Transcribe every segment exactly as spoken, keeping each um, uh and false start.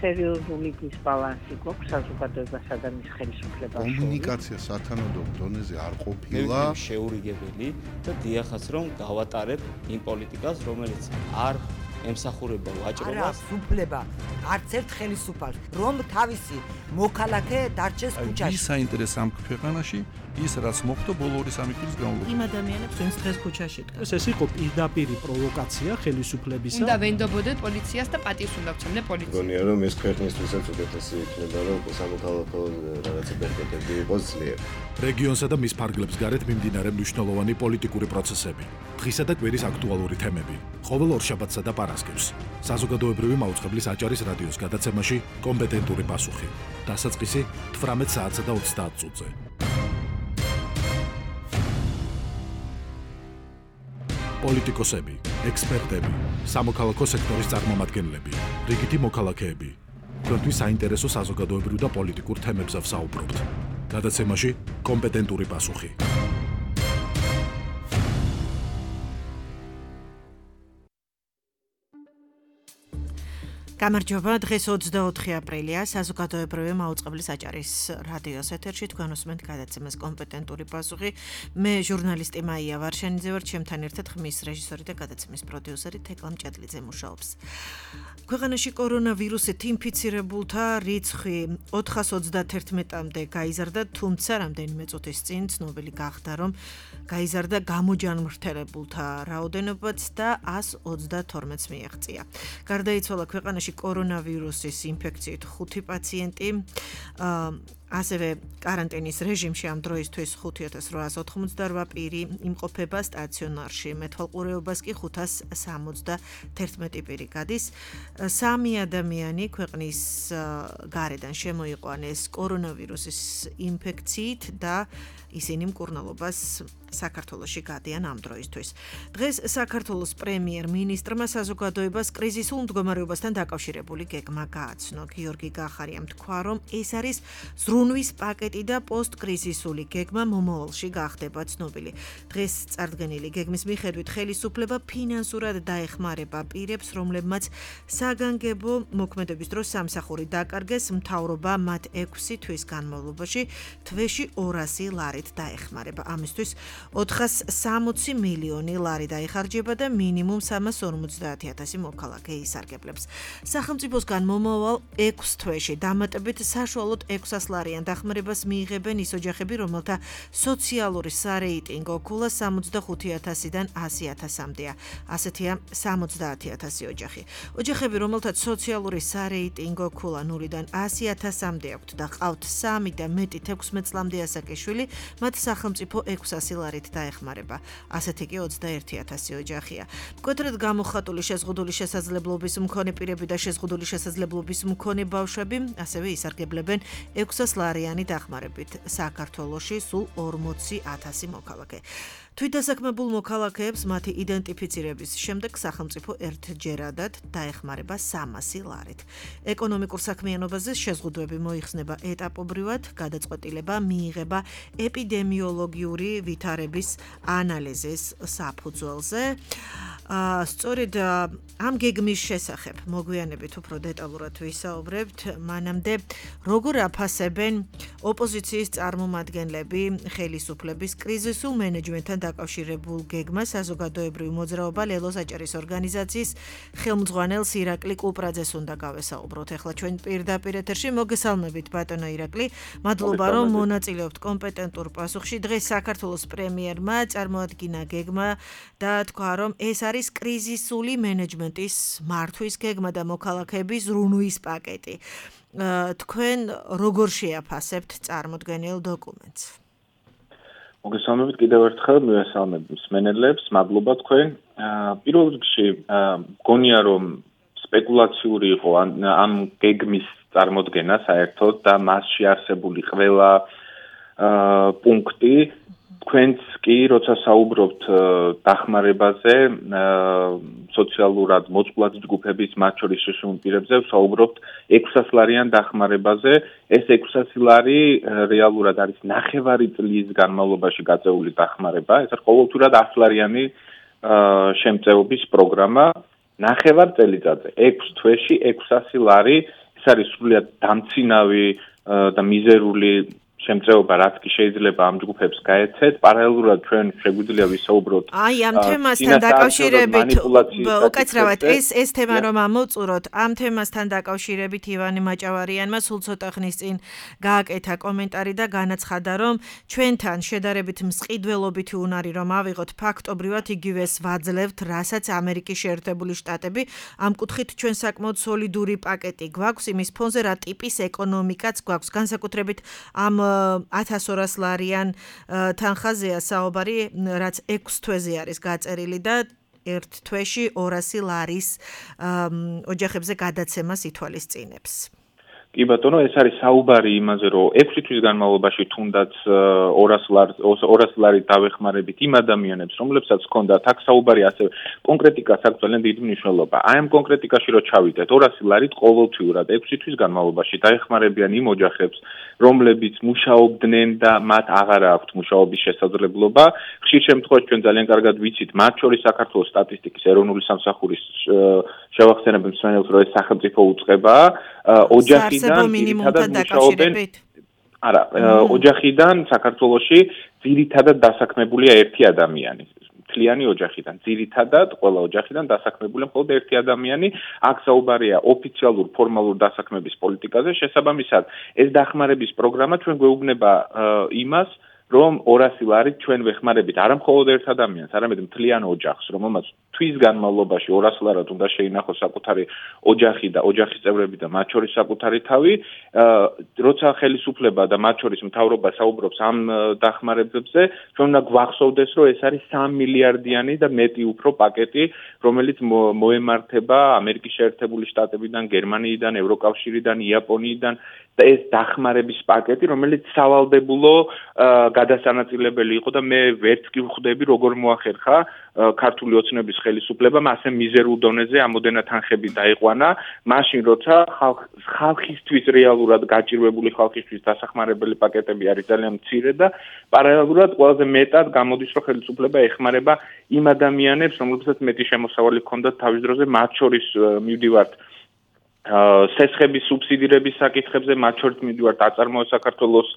სერიოზული დისბალანსი გვაქვს საზოგადოებასა და მის ხელისუფლებას შორის. კომუნიკაცია სათანადო დონეზე არ ყოფილა. შეურიგებელი და დიახაც რომ გავატარებ იმ პოლიტიკას, რომელიც არ ემსახურება ვაჭრობას. არა, სუფლება, არც ერთ ხელისუფალს, რომ თავისი მოქალაქე დარჩეს ქუჩაში. ვის საინტერესო ამ ქვეყანაში ის რაც მოხდა ბოლო ორი სამი წლის განმავლობაში. იმ ადამიანებს, ვინც დღეს ქუჩაში დგას. ეს იყო პირდაპირი პროვოკაცია ხელისუფლებისა. უნდა ვენდობოდეთ პოლიციას და პატივს უნდა ვცემდე პოლიციას. გონია რომ ეს ქვეყნისთვისაც უკეთესი იქნება, რომ სამოქალაქო რაღაცა ბერკეტები იყოს ძლიერი. რეგიონსა და მის ფარგლებს გარეთ მიმდინარე მნიშვნელოვანი პოლიტიკური პროცესები, დღისა და კვირის აქტუალური თემები, ყოველ ორშაბათსა და პარასკევს. საზოგადოებრივი მაუწყებლის აჭარის რადიოს გადაცემაში კომპეტენტური პასუხი. დასაწყისი თვრამეტ საათსა და ოცდაათ წუთზე. პოლიტიკოსები, ექსპერტები, სამოქალაქო სექტორის წარმომადგენლები, რიგითი მოქალაქეები. თქვენთვის საინტერესო საზოგადოებრივ და პოლიტიკურ თემებზე ვსაუბრობთ. გადაცემაში კომპეტენტური პასუხი. გამარჯობა, დღეს ოცდაოთხი აპრილია, საზოგადოებრივი მაუწყებლის აჭარის რადიოს ეთერში თქვენ უსმენთ გადაცემას კომპეტენტური პასუხი. მე ჟურნალისტი მაია ვარშენიძე ვარ, ჩემთან ერთად ხმის რეჟისორი და გადაცემის პროდიუსერი თეკლა მჭედლიძე მუშაობს. ქვეყანაში კორონავირუსით ინფიცირებულთა რიცხვი ოთხას ოცდაათერთმეტამდე გაიზარდა, თუმცა რამდენიმე წუთის წინ ცნობილი გახდა, რომ გაიზარდა გამოჯანმრთელებულთა რაოდენობაც და ასს ოცდათორმეტს მიაღწია. გარდაიცვალა ქვეყანაში კორონავირუსის ინფექციით ხუთი პაციენტი, ასევე კარანტინის რეჟიმში ამ დროისთვის ხუთი ათას რვაას ოთხმოცდარვა პირი იმყოფება სტაციონარში, მეთვალყურეობას კი ხუთას სამოცდათერთმეტი პირი გადის. სამი ადამიანი ქვეყნის გარედან შემოიყვანეს კორონავირუსის ინფექციით და ისინი მკურნალობას საქართველოში გადიან ამ დროისთვის. დღეს საქართველოს პრემიერ-მინისტრმა საზოგადოებას კრიზისულ მდგომარეობასთან დაკავშირებული გეგმა გააცნო. გიორგი გახარიამ თქვა, რომ ეს არის ზრუნვის პაკეტი და პოსტკრიზისული გეგმა მომავალში გახდება ცნობილი. დღეს წარდგენილი გეგმის მიხედვით ხელისუფლება ფინანსურად დაეხმარება პირებს, რომლებმაც საგანგებო მოქმედების დროს სამსახური დაკარგეს, მთავრობა მათ ექვსი თვის განმავლობაში თვეში ორასი ლარით დაეხმარება. ამისთვის ოთხას სამოცი მილიონი ლარი დაიხარჯება და მინიმუმ სამას ორმოცდაათი ათასი მოქალაქე ისარგებლებს. სახელმწიფოსგან მომავალ ექვს თვეში დამატებით საშუალოდ ექვსას ლარიან დახმარებას მიიღებენ ის ოჯახები, რომელთა სოციალური სარეიტინგო ქულა სამოცდახუთი ათასიდან ასი ათასამდეა. ასეთია სამოცდაათი ათასი ოჯახი. ოჯახები, რომელთაც სოციალური სარეიტინგო ქულა ნულიდან ასი ათასამდე აქვთ და ყავთ სამი და მეტი თექვსმეტ წლამდე ასაკიშვილი, მათ სახელმწიფო ექვსასი ლარით დაეხმარება. ასეთი კი ოცდაერთი ათასი ოჯახია. მკვეთრად გამოხატული შეზღუდული შესაძლებლობის მქონე პირები და შეზღუდული შესაძლებლობის მქონე ბავშვები ასევე ისარგებლებენ ექვსას ლარიანი დახმარებით. საქართველოში სულ ორმოცი ათასი მოქალაქე. თვითდასაქმებულ მოქალაქეებს მათი იდენტიფიცირების შემდეგ სახელმწიფო ერთჯერადად დაეხმარება სამასი ლარით. ეკონომიკურ საქმიანობაზე შეზღუდვები მოიხსნება ეტაპობრივად, გადაწყვეტილება მიიღება ეპიდემიოლოგიური ვითარების ანალიზის საფუძველზე. სწორედ ამ გეგმის შესახებ მოგვიანებით უფრო დეტალურად ვისაუბრებთ, მანამდე როგორ აფასებენ ოპოზიციის წარმომადგენლები ხელისუფლების კრიზისულ მენეჯმენტთან დაკავშირებულ გეგმას. საზოგადოებრივი მოძრაობა ლელოს აჭარის ორგანიზაციის ხელმძღვანელს ირაკლი კუპრაძეს უნდა გავესაუბროთ. ახლა ჩვენ პირდაპირ ეთერში მოგესალმებით ბატონო ირაკლი. მადლობა რომ მონაწილეობთ კომპეტენტურ პასუხში. დღეს საქართველოს პრემიერმა წარმოადგინა გეგმა და თქვა, რომ ეს არის კრიზისული მენეჯმენტის მართვის გეგმა და მოქალაქეების ზრუნვის პაკეტი. თქვენ როგორ შეაფასებთ წარმოდგენილ დოკუმენტს? მოგესალმებით კიდევ ერთხელ, მივესალმებ მსმენელებს, მადლობა თქვენ. პირველ რიგში მგონია, რომ სპეკულაციური იყო ამ გეგმის წარმოდგენა საერთოდ და მასში არსებული ყველა პუნქტი. თქვენც კი, როცა საუბრობთ დახმარებაზე, სოციალურად მოწყვლად ჯგუფების, მათ შორის შეშლილ პირებზე, საუბრობთ ექვსას ლარიან დახმარებაზე. ეს ექვსასი ლარი რეალურად არის ნახევარი წლის განმავლობაში გაწეული დახმარება. ეს არის ყოველთვიურად ათს ლარიანი შემწეობის პროგრამა. ნახევარ წელიწადზე, ექვს თვეში ექვსასი ლარი ეს არის სრულიად დამცინავი და მიზერული შემწეობა, რაც კი შეიძლება ამ ჯგუფებს გაეცეთ. პარალელურად ჩვენ შეგვიძლია ვისაუბროთ აი ამ თემასთან დაკავშირებით უკაცრავად ეს ეს თემა რომ ამოვწუროთ, ამ თემასთან დაკავშირებით ივანე მაჭავარიანმა სულ ცოტა ხნის წინ გააკეთა კომენტარი და განაცხადა, რომ ჩვენთან შედარებით მსყიდველობითი უნარი რომ ავიღოთ, ფაქტობრივად იგივეს ვაძლევთ, რასაც ამერიკის შეერთებული შტატები. ამ კუთხით ჩვენ საკმაოდ სოლიდური პაკეტი გვაქვს, იმის ფონზე რა ტიპის ეკონომიკაც გვაქვს, განსაკუთრებით ამ ათას ორას ლარიან თანხაზეა საუბარი, რაც ექვს თვეზე არის გაწერილი და ერთ თვეში ორასი ლარის ოჯახებზე გადაცემას ითვალისწინებს. კი ბატონო, ეს არის საუბარი იმაზე, რომ ექვსი თვის განმავლობაში თუნდაც ორას ლარი დავეხმარებით იმ ადამიანებს, რომლებსაც ჰქონდათ აქ საუბარი ასევე კონკრეტიკას აქვს ძალიან დიდი მნიშვნელობა. აი ამ კონკრეტიკაში რო ჩავიდეთ, ორასი ლარით ყოველთვიურად ექვსი თვის განმავლობაში დაეხმარებიან იმ ოჯახებს, რომლებიც მუშაობდნენ და მათ აღარ აქვთ მუშაობის შესაძლებლობა. ხშირ შემთხვევაში ჩვენ ძალიან კარგად ვიცით, მათ შორის საქართველოს სტატისტიკის ეროვნული სამსახურის შევახსენებ მსმენელს, რომ ეს სახელმწიფო უწყებაა ოჯახიდან ძირითადად მუშაობენ. არა, ოჯახიდან საქართველოში ძირითადად დასაქმებულია ერთი ადამიანი. მთლიანი ოჯახიდან, ძირითადად ყველა ოჯახიდან დასაქმებულია მხოლოდ ერთი ადამიანი. აქ საუბარია ოფიციალურ ფორმალურ დასაქმების პოლიტიკაზე. შესაბამისად, ეს დახმარების პროგრამა ჩვენ გვეუბნება იმას, რომ ორასი ლარით ჩვენ ვეხმარებით არა მხოლოდ ერთ ადამიანს, არამედ მთლიან ოჯახს, რომელმაც თვის განმავლობაში ორასი ლარად უნდა შეინახოს საკუთარი ოჯახი და ოჯახის წევრები და მათ შორის საკუთარი თავი, როცა ხელისუფლება და მათ შორის მთავრობა საუბრობს ამ დახმარებებზე, ჩვენ უნდა გვახსოვდეს, რომ ეს არის სამი მილიარდიანი და მეტი უფრო პაკეტი, რომელიც მოემართება ამერიკის შეერთებული შტატებიდან, გერმანიიდან, ევროკავშირიდან, იაპონიიდან და ეს დახმარების პაკეტი, რომელიც სავალდებულო გადასანაწილებელი იყო და მე ვერც კი ვხვდები, როგორ მოახერხა ქართული ოცნების ხელისუფლებამ ასე მიზერულ დონეზე ამოდენა თანხები დაიყვანა, მაშინ როცა ხალხისთვის რეალურად გაჭირვებული ხალხისთვის დასახმარებელი პაკეტები არის ძალიან მცირე და პარალელურად ყველაზე მეტად გამოდის, რომ ხელისუფლება ეხმარება იმ ადამიანებს, რომლებსაც მეტი შემოსავალი ჰქონდათ თავის დროზე, მათ შორის მივდივართ სესხების სუბსიდირების საკითხებზე, მათ შორის მივდივართ აწარმოო საქართველოს.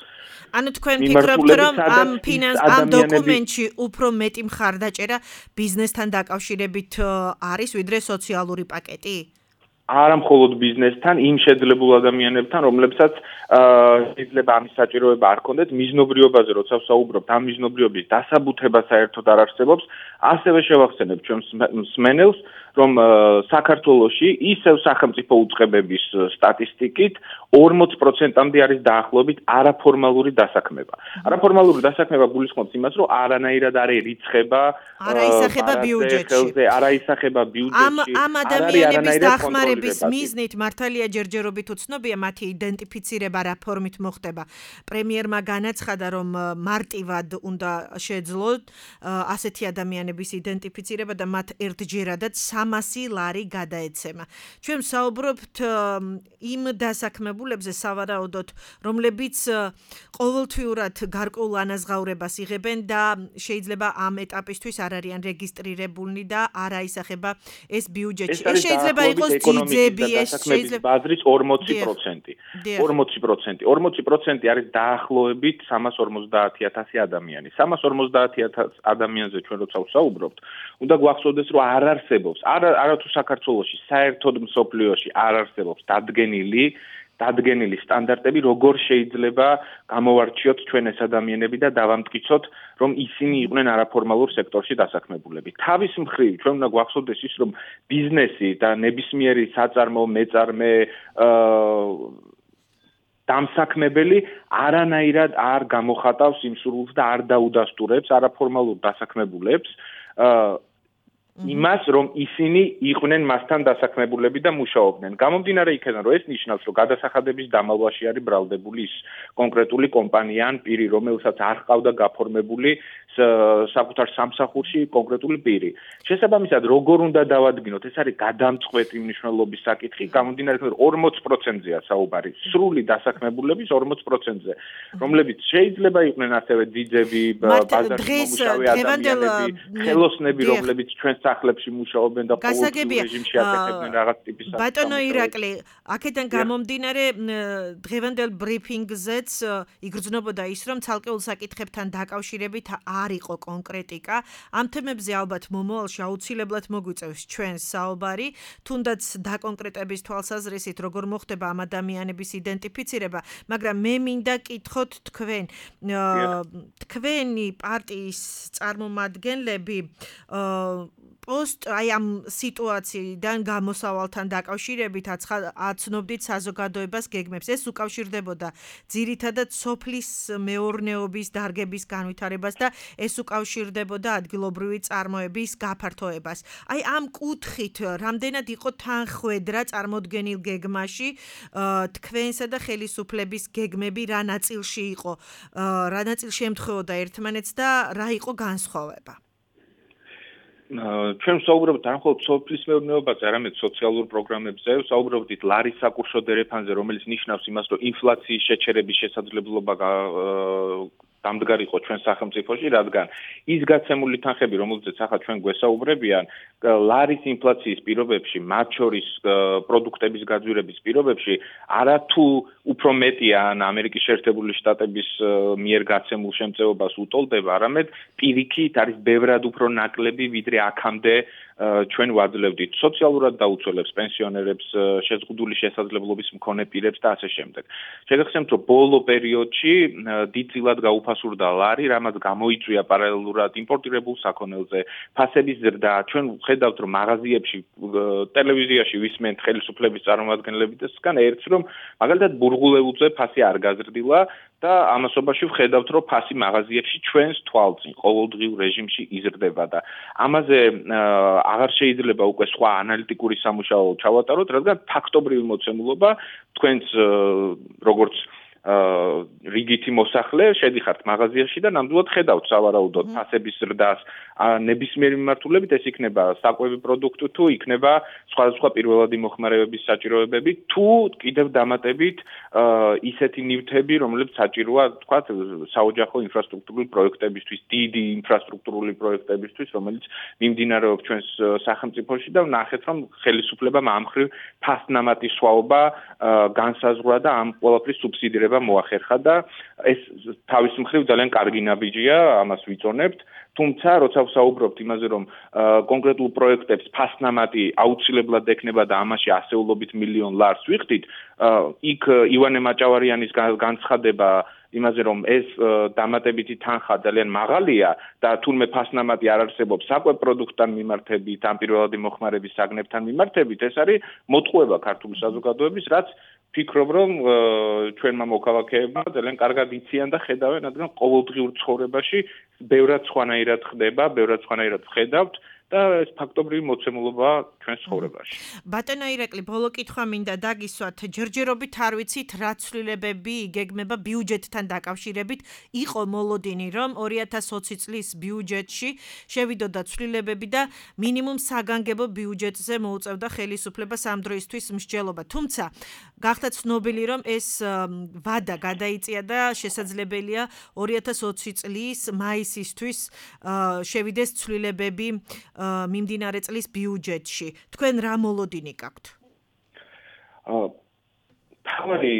ანუ თქვენ ფიქრობთ, რომ ამ ფინანს ამ დოკუმენტში უფრო მეტი მხარდაჭერა ბიზნესთან დაკავშირებით არის, ვიდრე სოციალური პაკეტი? არა მხოლოდ ბიზნესთან, იმ შეძლებულ ადამიანებთან, რომლებსაც შეიძლება ამის საჭიროება არ ჰქონდეთ, მიზნობრიობაზე როცა ვსაუბრობთ, ამ მიზნობრიობის დასაბუთება საერთოდ არ არსებობს. ასევე შევახსენებ ჩვენ მსმენელს, რომ საქართველოში ისევ სახელმწიფო უწყებების სტატისტიკით ორმოც პროცენტამდე არის დაახლოებით არაფორმალური დასაქმება. არაფორმალური დასაქმება გულისხმობს იმას, რომ არანაირად არ ერიცხება არა ისახება ბიუჯეტში. არა ისახება ბიუჯეტში. ამ ამ ადამიანების დახმარების მიზნით მართალია ჯერჯერობით უცნობია მათი იდენტიფიცირება რა ფორმით მოხდება. პრემიერმა განაცხადა, რომ მარტივად უნდა შეძლოთ ასეთი ადამიანების იდენტიფიცირება და მათ ერთჯერადად სამასი ლარი გადაეცემა. ჩვენ საუბრობთ იმ დასაქმებულებზე სავარაუდოდ, რომლებიც ყოველთვიურად გარკვეულ ანაზღაურებას იღებენ და შეიძლება ამ ეტაპისთვის არ არიან რეგისტრირებულნი და არ აისახება ეს ბიუჯეტში. ეს შეიძლება იყოს ძიძები, ეს შეიძლება ბაზრის ორმოცი პროცენტი. ორმოცი პროცენტი. ორმოცი პროცენტი არის დაახლოებით სამას ორმოცდაათი ათასი ადამიანი. სამას ორმოცდაათი ათასი ადამიანზე ჩვენ როცა ვსაუბრობთ, უნდა გვახსოვდეს, რომ არ არსებობს არა არათუ საქართველოში, საერთოდ მსოფლიოში არ არსებობს დადგენილი დადგენილი სტანდარტები, როგორ შეიძლება გამოვარჩიოთ ჩვენ ეს ადამიანები და დავამტკიცოთ, რომ ისინი იყვნენ არაფორმალურ სექტორში დასაქმებულები. თავის მხრივ ჩვენ უნდა გვახსოვდეს ის, რომ ბიზნესი და ნებისმიერი საწარმო, მეწარმე დამსაქმებელი არანაირად არ გამოხატავს იმ სურვილს და არ დაუდასტურებს არაფორმალურ დასაქმებულებს იმას, რომ ისინი იყვნენ მასთან დასაქმებულები და მუშაობდნენ. გამომდინარე იქიდან, რომ ეს ნიშნავს, რომ გადასახადების დამალვაში არის ბრალდებული ის კონკრეტული კომპანია ან პირი, რომელსაც არ ჰყავდა გაფორმებული საკუთარ სამსახურში კონკრეტული პირი. შესაბამისად, როგორ უნდა დავადგინოთ, ეს არის გადამწყვეტი მნიშვნელობის საკითხი, გამომდინარე იქიდან ორმოც პროცენტზეა საუბარი, სრული დასაქმებულების ორმოც პროცენტზე, რომლებიც შეიძლება იყვნენ ასევე ძიძები, ბაზარში მომუშავე ადამიანები, ხელოსნები, რომლებიც ჩვენ სახლებში მუშაობენ და ყოველდღიურ რეჟიმში აკეთებდნენ რაღაც ტიპის საკითხებს. ბატონო ირაკლი, აქედან გამომდინარე დღევანდელ ბრიფინგზეც იგრძნობოდა ის, რომ ცალკეულ საკითხებთან დაკავშირებით არ იყო კონკრეტიკა. ამ თემებზე ალბათ მომავალში აუცილებლად მოგვიწევს ჩვენს საუბარი, თუნდაც დაკონკრეტების თვალსაზრისით, როგორ მოხდება ამ ადამიანების იდენტიფიცირება, მაგრამ მე მინდა კითხოთ თქვენ, თქვენი პარტიის წარმომადგენლები პოსტ აი ამ სიტუაციიდან გამოსავალთან დაკავშირებით აცნობდით საზოგადოებას გეგმებს. ეს უკავშირდებოდა ძირითადად სოფლის მეურნეობის დარგების განვითარებას და ეს უკავშირდებოდა ადგილობრივი წარმოების გაფართოებას. აი ამ კუთხით რამდენად იყო თანხვედრა წარმოდგენილ გეგმაში თქვენსა და ხელისუფლების გეგმები რა ნაწილში იყო, რა ნაწილში ემთხვეოდა ერთმანეთს და რა იყო განსხვავება? ჩვენ ვსაუბრობთ არ მხოლოდ სოფლის მეურნეობაზე, არამედ სოციალურ პროგრამებზე, ვსაუბრობთ ლარის საკურშო დერეფანზე, რომელიც ნიშნავს იმას, რომ ინფლაციის შეჩერების შესაძლებლობა დამდგარი იყო ჩვენ სახელმწიფოში, რადგან ის გაცემული თანხები, რომელზეც ახლა ჩვენ გვესაუბრებიან, ლარის ინფლაციის პირობებში, მათ შორის პროდუქტების გაძვირების პირობებში, არათუ უფრო მეტია ან ამერიკის შეერთებული შტატების მიერ გაცემულ შემწეობას უტოლდება, არამედ პირიქით არის ბევრად უფრო ნაკლები, ვიდრე აქამდე ჩვენ ვაძლევდით სოციალურად დაუცველებს, პენსიონერებს, შეზღუდული შესაძლებლობის მქონე პირებს და ასე შემდეგ. შეგახსენებთ, რომ ბოლო პერიოდში დიდწილად გაუფასურდა ლარი, რამაც გამოიწვია პარალელურად იმპორტირებულ საქონელზე ფასების ზრდა. ჩვენ ვხედავთ, რომ მაღაზიებში, ტელევიზიაში ვისმენთ ხელისუფლების წარმომადგენლებისგან ერთს, რომ მაგალითად ბურღულეულზე ფასი არ გაზრდილა და ამასობაში ვხედავთ, რომ ფასი მაღაზიებში ჩვენს თვალწინ ყოველდღიურ რეჟიმში იზრდება და ამაზე აღარ შეიძლება უკვე სხვა ანალიტიკური სამუშაო ჩავატაროთ, რადგან ფაქტობრივი მოცემულობა თქვენს როგორც რიგითი მოსახლე შედიხართ მაღაზიაში და ნამდვილად ხედავთ სავარაუდოდ ფასების ზრდას ნებისმიერი მიმართულებით, ეს იქნება საკვები პროდუქტი თუ იქნება სხვადასხვა პირველადი მოხმარებების საჭიროებები, თუ კიდევ დამატებით ისეთი ნივთები, რომლებიც საჭიროა, თქვათ, საოჯახო ინფრასტრუქტურული პროექტებისთვის, დიდი ინფრასტრუქტურული პროექტებისთვის, რომელიც მიმდინარეობს ჩვენს სახელმწიფოში და ვნახეთ, რომ ხელისუფლებამ ამ მხრივ ფასნამატი სხვაობა განსაზღვრა და ამ ყველაფრის სუბსიდირება მოახერხა და ეს თავის მხრივ ძალიან კარგი ნაბიჯია, ამას ვიწონებთ. თუმცა, როცა ვსაუბრობთ იმაზე, რომ კონკრეტულ პროექტებს ფასნამატი აუცილებლად ექნება და ამაში ასეულობით მილიონ ლარს ვიხდით, იქ ივანე მაჭავარიანის განცხადება იმაზე, რომ ეს დამატებითი თანხა ძალიან მაღალია და თურმე ფასნამატი არ არსებობს საკვებ პროდუქტთან მიმართებით, ამ პირველადი მოხმარების საგნებთან მიმართებით, ეს არის მოტყუება ქართული საზოგადოების, რაც ფიქრობ, რომ ჩვენმა მოქალაქეებმა ძალიან კარგად იციან და ხედავენ, რადგან ყოველდღიურ ცხოვრებაში ბევრად სხვანაირად ხდება, ბევრად სხვანაირად ხედავთ და ეს ფაქტობრივი მოცემულობა ჩვენს ცხოვრებაში. ბატონო ირაკლი, ბოლო კითხვა მინდა დაგისვათ, ჯერჯერობით არ ვიცით რა ცვლილებები იგეგმება ბიუჯეტთან დაკავშირებით, იყო მოლოდინი, რომ ორი ათას ოცი წლის ბიუჯეტში შევიდოდა ცვლილებები და მინიმუმ საგანგებო ბიუჯეტზე მოუწევდა ხელისუფლებას ამ დროისთვის მსჯელობა. თუმცა გახდა ცნობილი, რომ ეს ვადა გადაიწია და შესაძლებელია ორი ათას ოცი წლის მაისისთვის შევიდეს ცვლილებები მიმდინარე წლის ბიუჯეტში. თქვენ რა მოლოდინი გაქვთ? თავი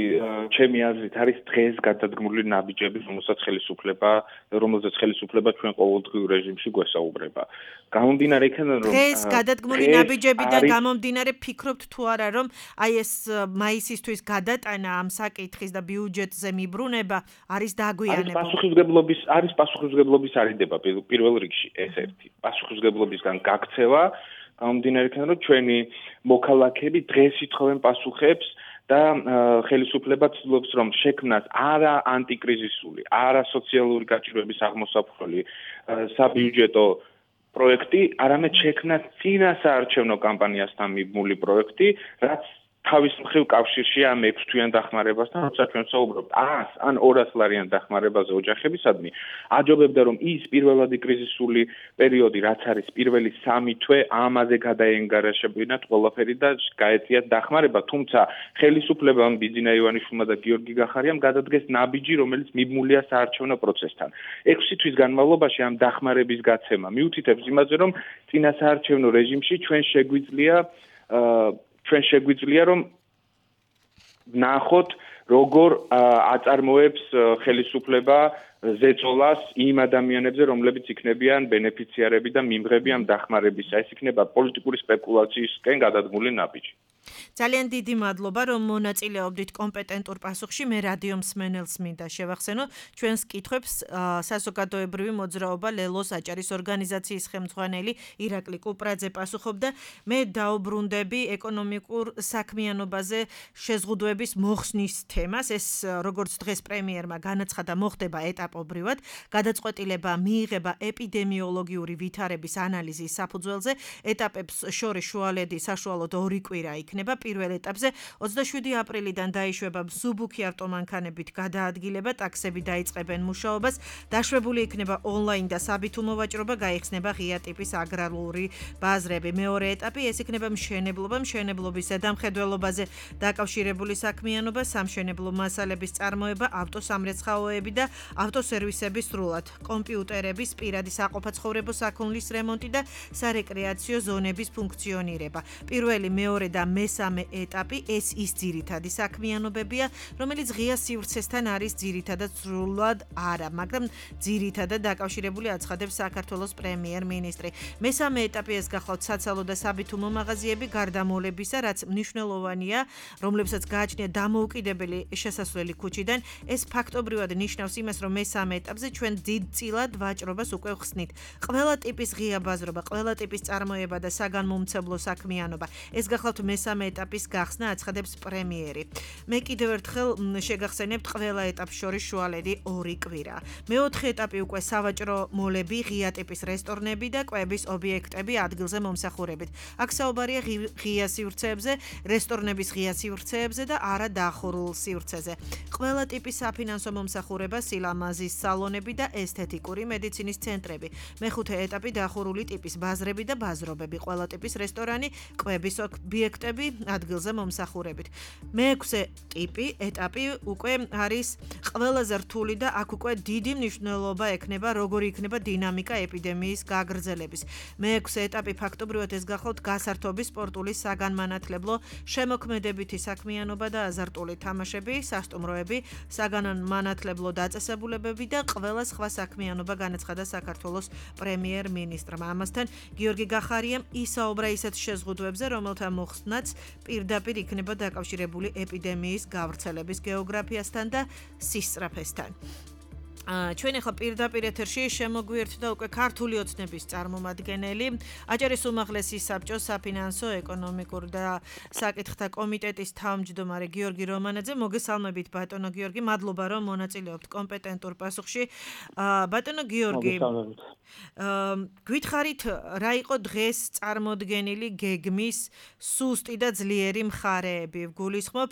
ჩემი აზრით არის დღეს გადადგმული ნაბიჯები, რომელსაც ხელისუფლება, რომელზეც ხელისუფლება ჩვენ ყოველდღიურ რეჟიმში გვესაუბრება. გამომდინარე იქიდან, რომ დღეს გადადგმული ნაბიჯებიდან გამომდინარე ფიქრობთ თუ არა, რომ აი ეს მაისისთვის გადატანა ამ საკითხის და ბიუჯეტზე მიბრუნება არის დაგვიანებული. არის პასუხისმგებლობის, არის პასუხისმგებლობის არიდება პირველ რიგში ეს ერთი. პასუხისმგებლობისგან გაქცევა, გამომდინარე იქიდან, რომ ჩვენი მოქალაქეები დღეს ითხოვენ პასუხებს და ხელისუფლება ცდილობს, რომ შექმნას არა ანტიკრიზისული, არა სოციალური გაჭირვების აღმოსაფხვრელი საბიუჯეტო პროექტი, არამედ შექმნას წინასაარჩევნო კამპანიასთან მიბმული პროექტი, რაც თავის მხრივ კავშირში ამ ექვს თვიან დახმარებასთან, როცა ჩვენ საუბრობთ ას ან ორას ლარიან დახმარებაზე ოჯახებისადმი, აჯობებდა რომ ის პირველადი კრიზისული პერიოდი, რაც არის პირველი სამი თვე, ამაზე გადაენგარაშებინათ ყველაფერი და გაეწიათ დახმარება, თუმცა ხელისუფლებამ ბიძინა ივანიშვილმა და გიორგი გახარიამ გადადგეს ნაბიჯი, რომელიც მიბმულია საარჩევნო პროცესთან. ექვსი თვის განმავლობაში ამ დახმარების გაცემა მიუთითებს იმაზე, რომ წინა საარჩევნო რეჟიმში ჩვენ შეგვიძლია ჩვენ შეგვიძლია რომ ნახოთ როგორ აწარმოებს ხელისუფლება ზეწოლას იმ ადამიანებზე, რომლებიც იქნებიან ბენეფიციარები და მიმღები ამ დახმარებისა. ეს იქნება პოლიტიკური სპეკულაციისკენ გადადგმული ნაბიჯი. ძალიან დიდი მადლობა, რომ მონაწილეობდით კომპეტენტურ პასუხში. მე რადიო მსმენელს მინდა შევახსენო ჩვენს კითხვებს საზოგადოებრივი მოძრაობა ლელოს აჭარის ორგანიზაციის ხელმძღვანელი ირაკლი კუპრაძე პასუხობდა. მე დაუბრუნდები ეკონომიკურ საქმიანობაზე შეზღუდვების მოხსნის თემას. ეს როგორც დღეს პრემიერმა განაცხადა, მოხდება ეტაპობრივად. გადაწყვეტილება მიიღება ეპიდემიოლოგიური ვითარების ანალიზის საფუძველზე. ეტაპებს შორის შუალედი საშუალოდ ორი კვირა იქნება. პირველ ეტაპზე ოცდაშვიდი აპრილიდან დაიშვება მსუბუქი ავტომანქანებით გადაადგილება, ტაქსები დაიწყებენ მუშაობას, დაშვებული იქნება ონლაინ და საბითუმო ვაჭრობა, გაიხსნება ღია ტიპის აგრარული ბაზრები. მეორე ეტაპი ეს იქნება მშენებლობა, მშენებლობის ზედამხედველობაზე დაკავშირებული საქმიანობა, სამშენებლო მასალების წარმოება, ავტოსამრეცხაოები და ავტოსერვისები სრულად, კომპიუტერების, პირადი საყოფაცხოვრებო საქონლის რემონტი და სარეკრეაციო ზონების ფუნქციონირება. პირველი, მეორე და მესამე ეტაპი ეს ის ძირითადი საქმიანობებია, რომელიც ღია სივრცესთან არის ძირითადად სრულად არა, მაგრამ ძირითადად დაკავშირებული აცხადებს საქართველოს პრემიერ-მინისტრი. მესამე ეტაპი ეს გახლავთ საცალო და საბითუმო მაღაზიები გარდამოლებისა, რაც მნიშვნელოვანია, რომლებსაც გააჩნია დამოუკიდებელი შესასვლელი ქუჩიდან. ეს ფაქტობრივად ნიშნავს იმას, რომ მესამე ეტაპზე ჩვენ დიდწილად ვაჭრობას უკვე ვხსნით. ყველა ტიპის ღია ბაზრობა, ყველა ტიპის წარმოება და საგანმომცემლო საქმიანობა. ეს გახლავთ მესამე ეტაპის გახსნა აცხადებს პრემიერი. მე კიდევ ერთხელ შეგახსენებთ ყველა ეტაპს შორის შუალედი ორი კვირა. მეოთხე ეტაპი უკვე სავაჭრო მოლები, ღია ტიპის რესტორნები და კვების ობიექტები ადგილზე მომსახურებით. აქ საუბარია ღია სივრცეებზე, რესტორნების ღია სივრცეებზე და არა დახურულ სივრცეზე. ყველა ტიპის საფინანსო მომსახურება, სილამაზის სალონები და ესთეტიკური მედიცინის ცენტრები. მეხუთე ეტაპი დახურული ტიპის ბაზრები და ბაზრობები, ყველა ტიპის რესტორანი, კვების ობიექტები ადგილზე მომსახურებით. მეექვსე ტიპი ეტაპი უკვე არის ყველაზე რთული და აქ უკვე დიდი მნიშვნელობა ექნება, როგორი იქნება დინამიკა ეპიდემიის გაგრძელების. მეექვსე ეტაპი ფაქტობრივად ეს გახლავთ გასართობის, სპორტული, საგანმანათლებლო, შემოქმედებითი საქმიანობა და აზარტული თამაშები, სასტუმროები, საგანმანათლებლო დაწესებულებები და ყველა სხვა საქმიანობა, განაცხადა საქართველოს პრემიერ-მინისტრმა. ამასთან გიორგი გახარიამ ისაუბრა ისეთ შეზღუდვებზე, რომელთა მოხსნაც პირდაპირ იქნება დაკავშირებული ეპიდემიის გავრცელების გეოგრაფიასთან და სისწრაფესთან. ჩვენ ახლა პირდაპირ ეთერში შემოგვიერთდა უკვე ქართული ოცნების წარმომადგენელი, აჭარის უმაღლესი საბჭოს საფინანსო, ეკონომიკურ და საკითხთა კომიტეტის თავმჯდომარე გიორგი რომანაძე. მოგესალმებით ბატონო გიორგი, მადლობა რომ მონაწილეობთ კომპეტენტურ პასუხში. ბატონო გიორგი, გითხარით რა იყო დღეს წარმოდგენილი გეგმის სუსტი და ძლიერი მხარეები? გულისხმობ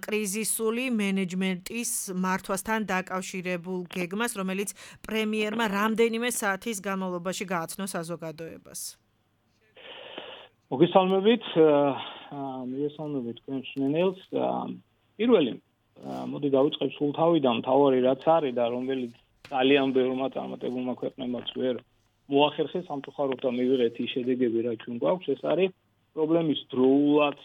კრიზისული მენეჯმენტის მართვასთან დაკავშირებულ გეგმას, რომელიც პრემიერმა რამდენიმე საათის განმავლობაში გააცნო საზოგადოებას. მოგესალმებით, მოგესალმებით თქვენ მსმენელს. პირველი, მოდი დავიწყებ სულ თავიდან, მთავარი რაც არის და რომელიც ძალიან ბევრმა წარმატებულმა ქვეყნებმაც ვერ მოახერხეს სამწუხაროდ და მივიღეთ ის შედეგები, რაც ჩვენ გვაქვს, ეს არის პრობლემის დროულად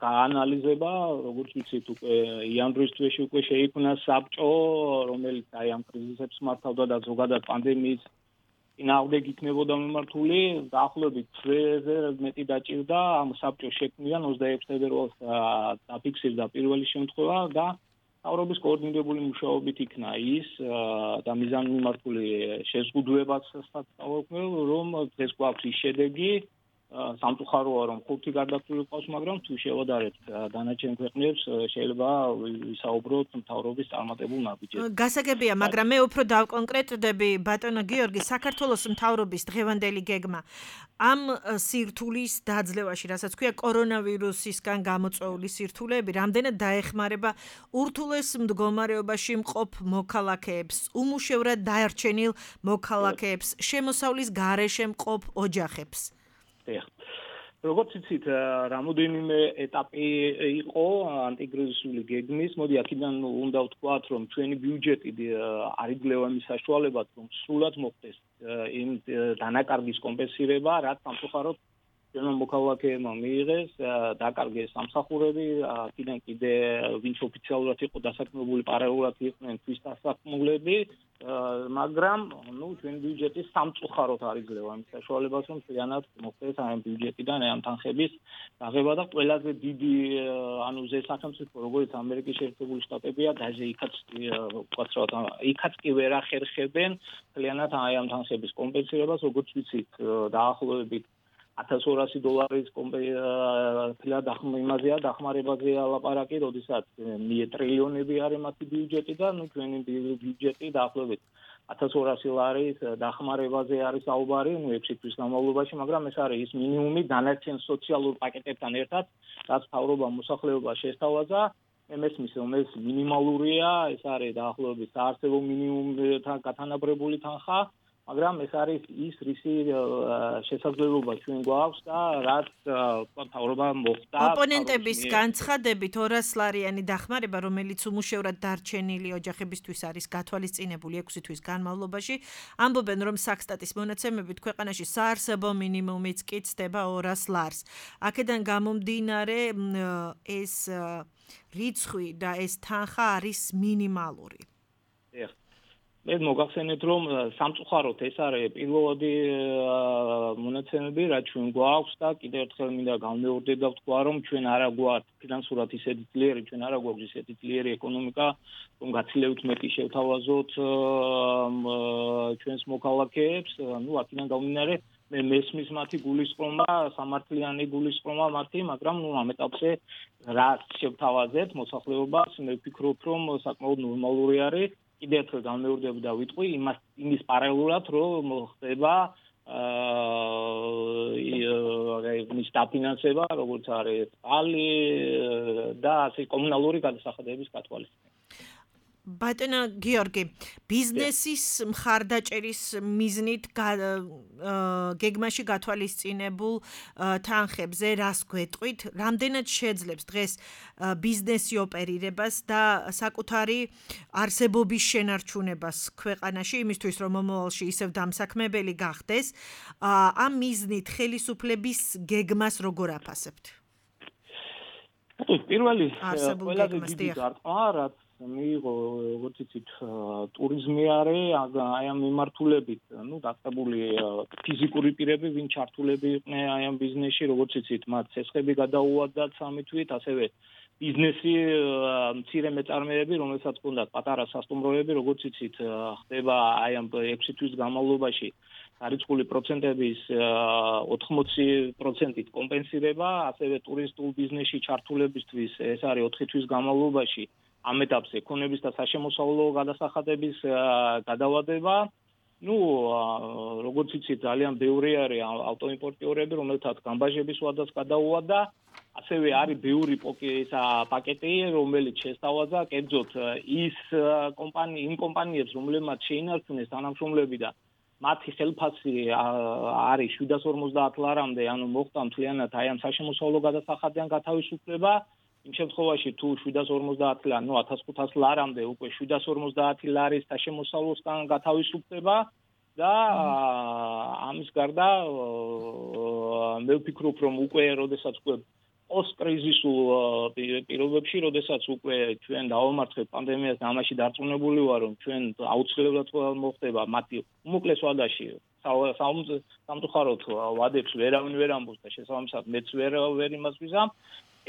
გაანალიზება, როგორც ვიცით, უკვე იანვრის თვეში უკვე შეიქმნა საბჭო, რომელიც აი ამ კრიზისებს მართავდა და ზოგადად პანდემიის წინააღმდეგ იქნებოდა მიმართული. დაახლოებით თვეზე მეტი დაჭირდა ამ საბჭოს შექმნიდან ოცდაექვსი ფებრუარს დაფიქსირდა პირველი შემთხვევა და მთავრობის კოორდინირებული მუშაობით იქნა ის და მიზანმიმართული შეზღუდვებაც სწავლობ, რომ დღეს გვაქვს ის შედეგი, სამწუხაროა რომ ხუთი გარდაცვლილი ყავს, მაგრამ თუ შევადარებთ დანარჩენ ქვეყნებს შეიძლება ვისაუბროთ მთავრობის წარმატებულ ნაბიჯებზე. გასაგებია, მაგრამ მე უფრო დავკონკრეტდები ბატონო გიორგი, საქართველოს მთავრობის დღევანდელი გეგმა ამ სირთულის დაძლევაში, რასაც ქვია კორონავირუსისგან გამოწვეული სირთულეები, რამდენად დაეხმარება ურთულეს მდგომარეობაში მყოფ მოქალაქეებს, უმუშევრად დაარჩენილ მოქალაქეებს, შემოსავლის გარეშე მყოფ ოჯახებს. როგორც იცით, რამოდენიმე ეტაპი იყო ანტიკრიზისული გეგმის. მოდი აქედან უნდა ვთქვათ, რომ ჩვენი ბიუჯეტი არ იძლევა იმის საშუალებად, რომ სრულად მოხდეს იმ დანაკარგის კომპენსირება, რაც სამწუხაროდ ჩვენმა მოქალაქეებმა მიიღეს, დაკარგეს სამსახურები, აქედან კიდე ვინც ოფიციალურად იყო დასაქმებული, პარალელურად იყვნენ თვის დასაქმულები, მაგრამ ნუ ჩვენი ბიუჯეტი სამწუხაროდ არ იძლევა იმ საშუალებას, რომ მთლიანად მოხდეს ამ ბიუჯეტიდან ამ თანხების დაღება და ყველაზე დიდი ანუ ზე სახელმწიფო როგორც ამერიკის შეერთებული შტატებია, დაჟე იქაც ვთქვათ, იქაც კი ვერ ახერხებენ მთლიანად ამ თანხების კომპენსირებას, როგორც ვიცით, დაახლოებით ათას ორასი დოლარის კომპენსირება იმაზეა დახმარებაზეა ლაპარაკი, როდესაც ტრილიონები არის მათი ბიუჯეტი და ნუ ჩვენი ბიუჯეტი დაახლოებით ათას ორასი ლარის დახმარებაზე არის საუბარი, ნუ ექვსი თვის განმავლობაში, მაგრამ ეს არის ის მინიმუმი დანარჩენ სოციალურ პაკეტებთან ერთად, რაც მთავრობამ მოსახლეობას შესთავაზა. მე მესმის, რომ ეს მინიმალურია, ეს არის დაახლოებით საარსებო მინიმუმთან გათანაბრებული თანხა. მაგრამ ეს არის ის რისი შესაძლებლობა ჩვენ გვაქვს და რაც მთავრობა მოხდა ოპონენტების განცხადებით ორას ლარიანი დახმარება, რომელიც უმუშევრად დარჩენილი ოჯახებისთვის არის გათვალისწინებული ექვსი თვის განმავლობაში, ამბობენ, რომ საქსტატის მონაცემებით ქვეყანაში საარსებო მინიმუმიც კი ცდება ორას ლარს. აქედან გამომდინარე ეს რიცხვი და ეს თანხა არის მინიმალური. მე მოგახსენეთ, რომ სამწუხაროდ ეს არის პირველადი მონაცემები, რაც ჩვენ გვაქვს და კიდევ ერთხელ მინდა განმეორდე და ვთქვა, რომ ჩვენ არა გვაქვს ფინანსურად ისეთი ძლიერი, ჩვენ არა გვაქვს ისეთი ძლიერი ეკონომიკა, რომ გაცილებით მეტი შევთავაზოთ ჩვენს მოქალაქეებს, ну, აქედან გამომდინარე, მე მესმის მათი გულისწყრომა, სამართლიანი გულისწყრომა მათი, მაგრამ ну, ამ ეტაპზე რაც შევთავაზეთ მოსახლეობას, მე ვფიქრობ, რომ საკმაოდ ნორმალური არის. კიდევ ერთხელ განმეორდები და ვიტყვი იმას იმის პარალელურად, რომ ხდება აა ის დაფინანსება, როგორც არის წყალი და ასე კომუნალური გადასახადების გათვალისწინება. ბატონო გიორგი, ბიზნესის მხარდაჭერის მიზნით გეგმაში გათვალისწინებულ თანხებზე რას გვეტყვით? რამდენად შეძლებს დღეს ბიზნესი ოპერირებას და საკუთარი არსებობის შენარჩუნებას ქვეყანაში, იმისთვის რომ მომავალში ისევ დამსაქმებელი გახდეს, ამ მიზნით ხელისუფლების გეგმას როგორ აფასებთ? პირველი ყველაზე დიდი გარტყმა, რაც მიიღო, როგორც იცით, ტურიზმი არის აი ამ მიმართულებით, ну, დაწყებული ფიზიკური პირები, ვინ ჩართულები იყვნენ აი ამ ბიზნესში, როგორც იცით, მათ ცესხები გადაუვადათ სამი თვით, ასევე ბიზნესი მცირე მეწარმეები, რომელსაც ჰქონდათ პატარა სასტუმროები, როგორც იცით, ხდება აი ამ ექვსი თვის განმავლობაში არიცხული პროცენტების ოთხმოცი პროცენტით კომპენსირება, ასევე ტურისტულ ბიზნესში ჩართულებისთვის ეს არის ოთხი თვის განმავლობაში ამ ეტაპზე ქონების და საშემოსავლო გადასახადების გადავადება. Ну, როგორც იცით, ძალიან ბევრი არის ავტოიმპორტიორები, რომელთაც გამბაჟების ვადას გადაუვადა. ასევე არის ბევრი პაკეტი, რომელიც შესთავაზა, კერძოდ ის კომპანია, იმ კომპანიებს, რომლებმაც შეინარჩუნეს თანამშრომლები და მათი ხელფასი არის შვიდას ორმოცდაათ ლარამდე, ანუ მოხდა მთლიანად აი ამ საშემოსავლო გადასახადიდან გათავისუფლება. იმ შემთხვევაში თუ შვიდას ორმოცდაათ ლარი, ну, ათას ხუთას ლარამდე უკვე შვიდას ორმოცდაათი ლარის საშემოსავლოსგან გათავისუფლება და ამის გარდა მე ვფიქრობ, რომ უკვე როდესაც უკვე პოსტკრიზისულ პირობებში, როდესაც უკვე ჩვენ დავამარცხეთ პანდემიას და ამაში დარწმუნებული ვარ, რომ ჩვენ აუცილებლად მოხდება მათი უმოკლეს ვადაში სამწუხაროდ ვადებს ვერავინ ვერ ამბობს და შესაბამისად მეც ვერ ვერ იმას ვიზამ.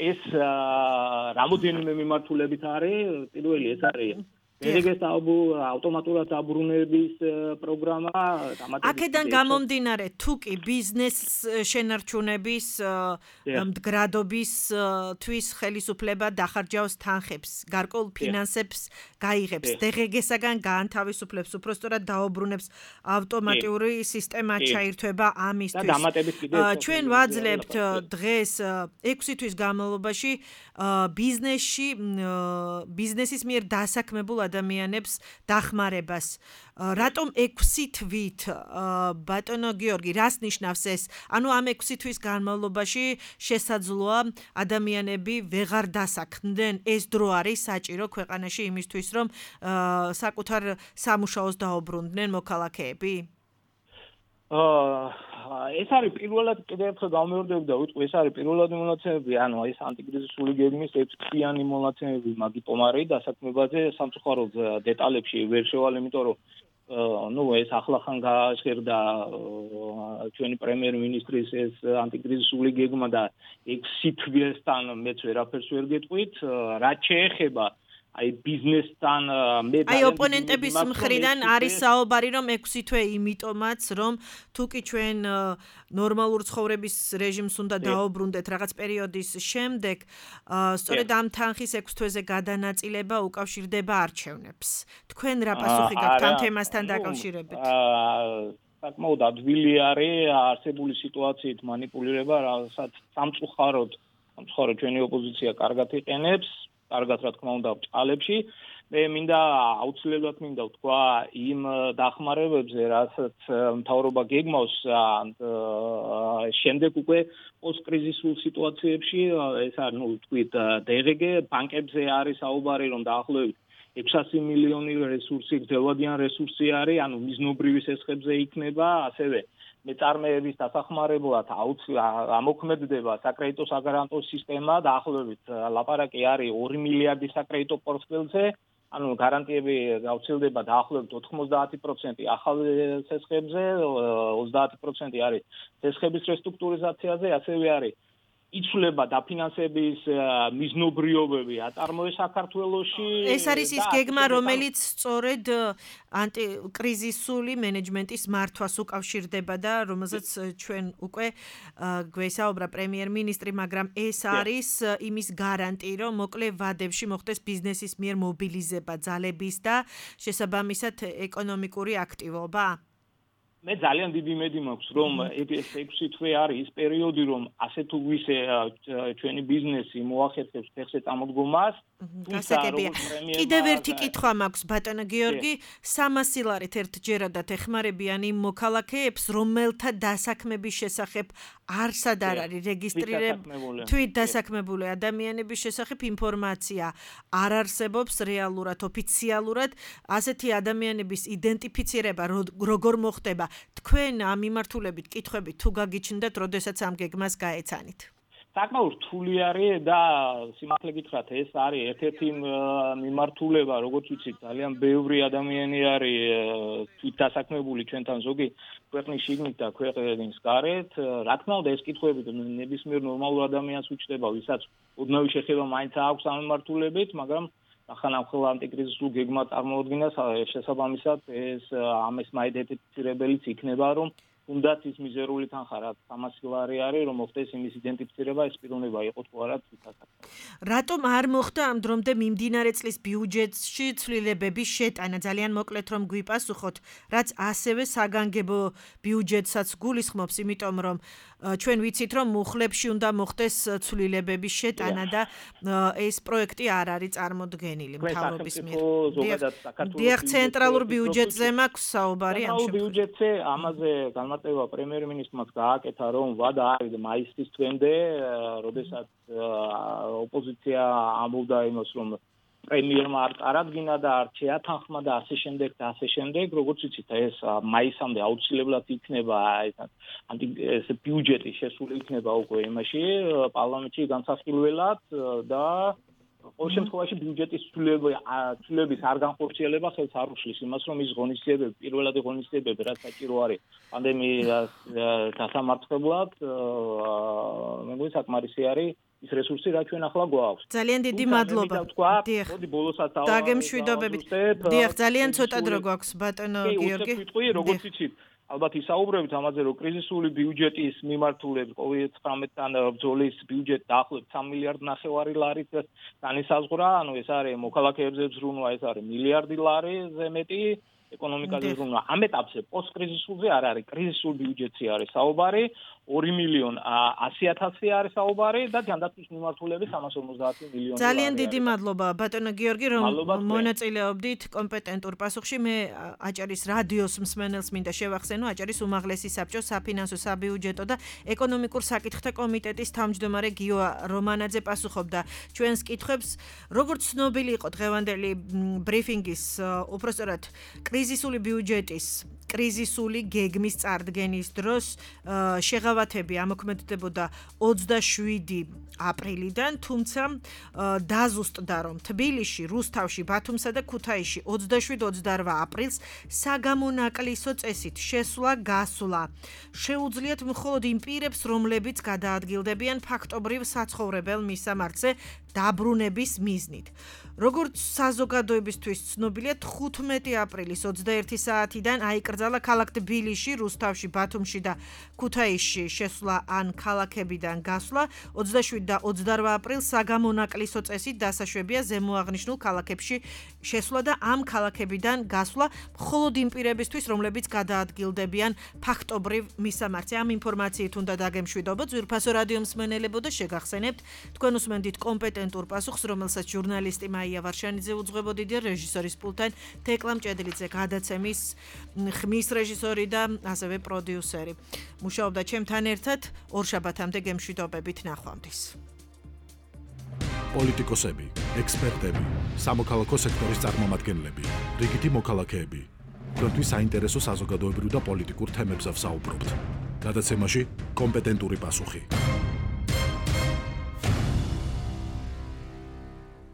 ეს რამოდენიმე მიმართულებით არის, პირველი ეს არის ეგეც ავტომატურად დაბრუნების პროგრამა დამატებით აქედან გამომდინარე თუ კი ბიზნეს შენარჩუნების მდგრადობის თვის ხელისუფლება დახარჯავს თანხებს, გარკვეულ ფინანსებს გაიღებს, დღეგესაგან გაანთავისუფლებს, უпростоრად დაუბრუნებს ავტომატიური სისტემა ჩაირთვება ამისთვის. ჩვენ ვაძლევთ დღეს ექვსი თვის განმავლობაში ბიზნესში ბიზნესის მიერ დასაქმებულ ადამიანებს დახმარებას. რატომ ექვსი თვით ბატონო გიორგი, რას ნიშნავს ეს? ანუ ამ ექვსი თვის განმავლობაში შესაძლოა ადამიანები ვეღარ დასაქმდნენ. ეს დრო არის საჭირო ქვეყანაში იმისთვის, რომ საკუთარ სამუშაოს დაუბრუნდნენ მოქალაქეები? ეს არის პირველად კიდევ ერთხელ გამეორდები და ვიტყვი, ეს არის პირველადი მონაცემები, ანუ ეს ანტიკრიზისული გეგმის ექვსწლიანი მონაცემები მაგიტომარი დასაქმებაზე სამწუხაროდ დეტალებში ვერ შევალ, იმიტომ რომ ну ეს ახლახან გააჟღერდა ჩვენი პრემიერ-მინისტრის ეს ანტიკრიზისული გეგმა და ექვსი თვისთან მეც ვერაფერს ვერ გეტყვით, რაც შეეხება აი ბიზნესთან მე აი ოპონენტების მხრიდან არის საუბარი რომ ექვსი თვე იმიტომაც რომ თუ კი ჩვენ ნორმალურ ცხოვრების რეჟიმს უნდა დაუბრუნდეთ რაღაც პერიოდის შემდეგ სწორედ ამ თანხის ექვსი თვეზე გადანაწილება უკავშირდება არჩევნებს. თქვენ რა პასუხი გაქვთ ამ თემასთან დაკავშირებით? საკმაოდ ადვილი არის არსებული სიტუაციით манипуლირება, რასაც სამწუხაროდ სამწუხაროდ ჩვენი ოპოზიცია კარგად იყენებს. კარგად რა თქმა უნდა ბჭყალებში მე მინდა აუცილებლად მინდა ვთქვა იმ დახმარებებზე რასაც მთავრობა გეგმავს შემდეგ უკვე პოსტკრიზისულ სიტუაციებში ეს არის ნუ ვთქვით დღგ ბანკებზე არის საუბარი რომ დაახლოებით ექვსასი მილიონი რესურსი გრძელვადიან რესურსი არის ანუ მიზნობრივი სესხებზე იქნება ასევე მეწარმეების დასახმარებლად ამოქმედდება საკრედიტო საგარანტო სისტემა დაახლოებით ლაპარაკი არის ორი მილიარდი საკრედიტო პორტფელზე ანუ გარანტიები გავრცელდება დაახლოებით ოთხმოცდაათი პროცენტი ახალ სესხებზე ოცდაათი პროცენტი არის სესხების რესტრუქტურიზაციაზე ასევე არის იცვლება დაფინანსების მიზნობრიობები აწარმოეს საქართველოში ეს არის ის გეგმა რომელიც სწორედ ანტიკრიზისული მენეჯმენტის მართვას უკავშირდება და რომელზეც ჩვენ უკვე გვესაუბრა პრემიერ-მინისტრი მაგრამ ეს არის იმის გარანტი რომ მოკლე ვადებში მოხდეს ბიზნესის მიერ მობილიზება ძალების და შესაბამისად ეკონომიკური აქტივობა მე ძალიან დიდი იმედი მაქვს რომ ეს ექვსი თვე არის ის პერიოდი რომ ასე თუ ვისე ჩვენი ბიზნესი მოახერხებს ფეხზე წამოდგომას გასაგებია კიდევ ერთი კითხვა მაქვს ბატონო გიორგი სამასი ლარით ერთჯერადად ეხმარებიან იმ მოქალაქეებს რომელთა დასაქმების შესახებ არსად არ არის რეგისტრირებული თვით დასაქმებული ადამიანების შესახებ ინფორმაცია არ არსებობს რეალურად ოფიციალურად ასეთი ადამიანების იდენტიფიცირება როგორ მოხდება თქვენ ამ მიმართულებით კითხვებით თუ გაგიჩნდათ, როდესაც ამ გეგმას გაეცანით? საკმაოდ რთული არის და სიმართლე გითხრათ, ეს არის ერთ-ერთი მიმართულება, როგორც ვიცით, ძალიან ბევრი ადამიანი არის თვით დასაქმებული ჩვენთან ზოგი ქვეყნის შიგნით და ქვეყნის გარეთ. რა თქმა უნდა, ეს კითხვები ნებისმიერ ნორმალურ ადამიანს უჩნდება, ვისაც ოდნავი შეხება მაინც აქვს ამ მიმართულებით, მაგრამ ახალ ანტიკრიზისულ გეგმა წარმოუდგინას შესაბამისად ეს ამის მაიდენტიფიცირებელიც იქნება რომ თუნდაც ის მიზერული თანხა რაც სამასი ლარი არის რომ მოხდეს იმის იდენტიფიცირება ეს პიროვნება იყო თუ არა თვითასაკ. რატომ არ მოხდა ამ დრომდე მიმდინარე წლის ბიუჯეტში ცვლილებების შეტანა ძალიან მოკლედ რომ გვიპასუხოთ რაც ასევე საგანგებო ბიუჯეტსაც გულისხმობს იმიტომ რომ ჩვენ ვიცით რომ მუხლებში უნდა მოხდეს ცვლილებების შეტანა და ეს პროექტი არ არის წარმოდგენილი მთავრობის მიერ. დიახ ცენტრალურ ბიუჯეტზე მაქვს საუბარი ამ შემთხვევაში. ბიუჯეტზე ამაზე განმარტება პრემიერ-მინისტრმა გააკეთა რომ ვადა არის მაისის თვემდე, როდესაც ოპოზიცია ამბობდა იმას რომ პრემიერმა არ წარადგინა და არ შეათანხმა და ასე შემდეგ და ასე შემდეგ, როგორც იცით, ეს მაისამდე აუცილებლად იქნება ეს ანტი ეს ბიუჯეტი შესული იქნება უკვე იმაში პარლამენტში განსახილველად და ყოველ შემთხვევაში ბიუჯეტის ცვლილების არ განხორციელება ხელს არ უშლის იმას, რომ ის ღონისძიებები, პირველადი ღონისძიებები, რაც საჭირო არის პანდემიას დასამარცხებლად, მეგონი საკმარისი არის ის რესურსი რაც ჩვენ ახლა გვაქვს. ძალიან დიდი მადლობა. დიახ. მოდი ბოლოსაც ავ დაგემშვიდობებით. დიახ, ძალიან ცოტა დრო გვაქვს ბატონო გიორგი. კი, როგორც იცით, ალბათ ისაუბრებით ამაზე, რომ კრიზისული ბიუჯეტის მიმართულებით კოვიდ ცხრამეტთან ბრძოლის ბიუჯეტი დაახლოებით სამი მილიარდი ნახევარი ლარით განისაზღვრა, ანუ ეს არის მოქალაქეებზე ზრუნვა, ეს არის მილიარდი ლარიზე მეტი ეკონომიკაზე ზრუნვა. ამ ეტაპზე პოსტკრიზისულზე არ არის, კრიზისულ ბიუჯეტზე არის საუბარი, ორი მილიონი ასი ათასი არის საუბარი და ჯანდაცვის მიმართულებით სამას ორმოცდაათი მილიონი. ძალიან დიდი მადლობა ბატონო გიორგი, რომ მონაწილეობდით კომპეტენტურ პასუხში. მე აჭარის რადიოს მსმენელს მინდა შევახსენო, აჭარის უმაღლესი საბჭოს საფინანსო, საბიუჯეტო და ეკონომიკურ საკითხთა კომიტეტის თავმჯდომარე გიო რომანაძე პასუხობდა ჩვენს კითხვებს. როგორც ცნობილი იყო დღევანდელი ბრიფინგის, უпростоრად კრიზისული ბიუჯეტის კრიზისული გეგმის წარდგენის დროს შეღავათები ამოქმედდებოდა ოცდაშვიდი აპრილიდან, თუმცა დაზუსტდა, რომ თბილისში, რუსთავში, ბათუმსა და ქუთაისში ოცდაშვიდ ოცდარვა აპრილს საგამონაკლისო წესით შესვლა-გასვლა შეუძლიათ მხოლოდ იმ პირებს, რომლებიც გადაადგილდებიან ფაქტობრივ საცხოვრებელ მისამართზე დაბრუნების მიზნით. როგორც საზოგადოებისთვის ცნობილია, თხუთმეტი აპრილის ოცდაერთი საათიდან აიკრძალა ქალაქ თბილისში, რუსთავში, ბათუმში და ქუთაისში შესვლა ან ქალაქებიდან გასვლა. ოცდაშვიდი და ოცდარვა აპრილს საგამონაკლისო წესით დასაშვებია ზემოაღნიშნულ ქალაქებში შესვლა და ამ ქალაქებიდან გასვლა მხოლოდ იმ პირებისთვის, რომლებიც გადაადგილდებიან ფაქტობრივ მისამართზე. ამ ინფორმაციით უნდა დაგემშვიდობოთ. ძვირფასო რადიო მსმენელებო და შეგახსენებთ, თქვენ უსმენთ კომპეტენტურ პასუხს, რომელსაც ჟურნალისტი მაია ვარშანიძე უძღვებოდი და რეჟისორის პულტთან თეკლა მჭედლიძე, გადაცემის ხმის რეჟისორი და ასევე პროდიუსერი. მუშაობდა ჩემთან ერთად. ორშაბათამდე გემშვიდობებით, ნახვამდის. პოლიტიკოსები, ექსპერტები, სამოქალაქო სექტორის წარმომადგენლები, რიგითი მოქალაქეები. თქვენთვის საინტერესო საზოგადოებრივ და პოლიტიკურ თემებზე ვსაუბრობთ. გადაცემაში კომპეტენტური პასუხი.